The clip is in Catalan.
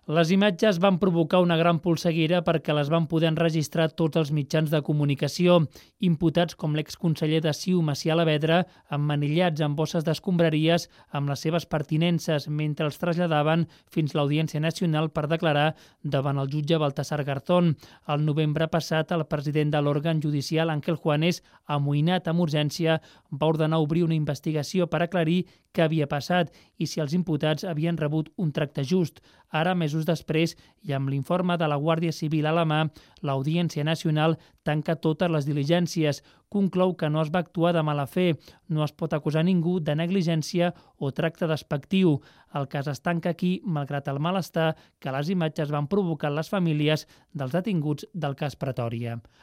Les imatges van provocar una gran polseguera perquè les van poder enregistrar tots els mitjans de comunicació. Imputats com l'exconseller de CiU, Macià Alavedra, emmanillats amb bosses d'escombraries amb les seves pertinences mentre els traslladaven fins a l'Audiència Nacional per declarar davant el jutge Baltasar Garzón. Al novembre passat, el president de l'òrgan judicial, Ángel Juanes, amoïnat amb urgència, va ordenar obrir una investigació per aclarir què havia passat i si els imputats havien rebut un tracte just. Ara, mesos després, i amb l'informe de la Guàrdia Civil a la mà, l'Audiència Nacional tanca totes les diligències. Conclou que no es va actuar de mala fe, no es pot acusar ningú de negligència o tracte despectiu. El cas es tanca aquí, malgrat el malestar que les imatges van provocar en les famílies dels detinguts del cas Pretòria.